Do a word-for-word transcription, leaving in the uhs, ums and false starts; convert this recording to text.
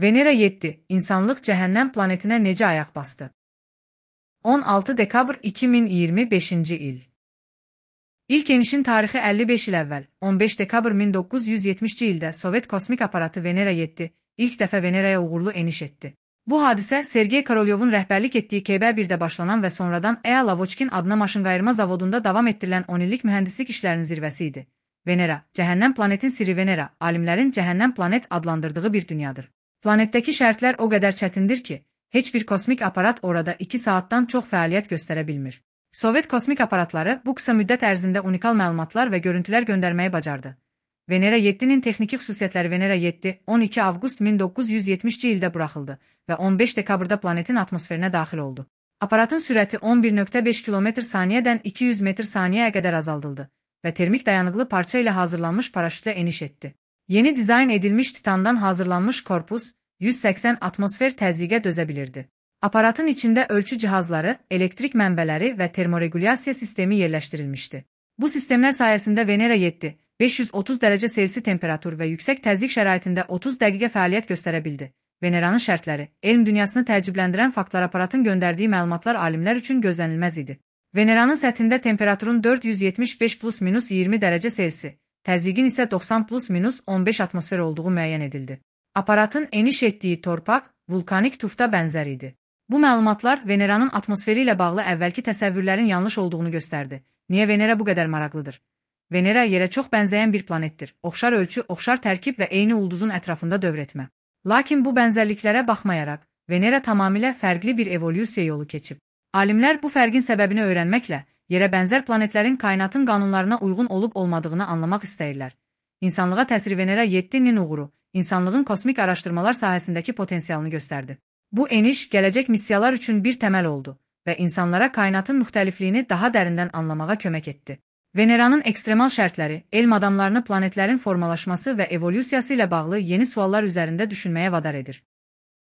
Venera yeddi. İnsanlıq cəhənnəm planetinə necə ayaq bastı? on altı dekabr iki min iyirmi beşinci il. İlk enişin tarixi əlli beş il əvvəl, on beş dekabr min doqquz yüz yetmişci ildə Sovet kosmik aparatı Venera yeddi ilk dəfə Veneraya uğurlu eniş etdi. Bu hadisə Sergey Korolyovun rəhbərlik etdiyi K B birdə başlanan və sonradan E A Lavochkin adına maşınqayırma zavodunda davam etdirilən on illik mühəndislik işlərinin zirvəsi idi. Venera, cəhənnəm planetin sirri Venera, alimlərin cəhənnəm planet adlandırdığı bir dünyadır. Planetdəki şərtlər o qədər çətindir ki, heç bir kosmik aparat orada iki saatdan çox fəaliyyət göstərə bilmir. Sovet kosmik aparatları bu qısa müddət ərzində unikal məlumatlar və görüntülər göndərməyi bacardı. Venera yeddinin texniki xüsusiyyətləri Venera yeddi on iki avqust min doqquz yüz yetmişci ildə buraxıldı və on beş dekabrda planetin atmosferinə daxil oldu. Aparatın sürəti on bir nöqtə beş kilometr saniyədən iki yüz metr saniyəyə qədər azaldıldı və termik dayanıqlı parça ilə hazırlanmış paraşütlə eniş etdi. Yeni dizayn edilmiş titandan hazırlanmış korpus yüz səksən atmosfer təzyiqə dözə bilirdi. Aparatın içində ölçü cihazları, elektrik mənbələri və termoregulyasiya sistemi yerləşdirilmişdi. Bu sistemlər sayəsində Venera yeddi beş yüz otuz dərəcə Selsi temperatur və yüksək təzyiq şəraitində otuz dəqiqə fəaliyyət göstərə bildi. Veneranın şərtləri, elm dünyasını təəccübləndirən faktlar aparatın göndərdiyi məlumatlar alimlər üçün gözlənilməz idi. Veneranın səthində temperaturun dörd yüz yetmiş beş plus minus iyirmi dərəcə Selsi, təzyiqin isə doxsan plus minus on beş atmosfer olduğu müəyyən edildi. Aparatın eniş etdiyi torpaq, vulkanik tufta bənzər idi. Bu məlumatlar Veneranın atmosferi ilə bağlı əvvəlki təsəvvürlərin yanlış olduğunu göstərdi. Niyə Venera bu qədər maraqlıdır? Venera yerə çox bənzəyən bir planetdir. Oxşar ölçü, oxşar tərkib və eyni ulduzun ətrafında dövr etmə. Lakin bu bənzərliklərə baxmayaraq, Venera tamamilə fərqli bir evolyusiya yolu keçib. Alimlər bu fərqin səbəbini öyrənməklə, yerə bənzər planetlərin kainatın qanunlarına uyğun olub-olmadığını anlamaq istəyirlər. İnsanlığa təsiri Venera yeddinin uğuru, insanlığın kosmik araşdırmalar sahəsindəki potensialını göstərdi. Bu eniş gələcək missiyalar üçün bir təməl oldu və insanlara kainatın müxtəlifliyini daha dərindən anlamağa kömək etdi. Veneranın ekstremal şərtləri, elm adamlarını planetlərin formalaşması və evolyusiyası ilə bağlı yeni suallar üzərində düşünməyə vadar edir.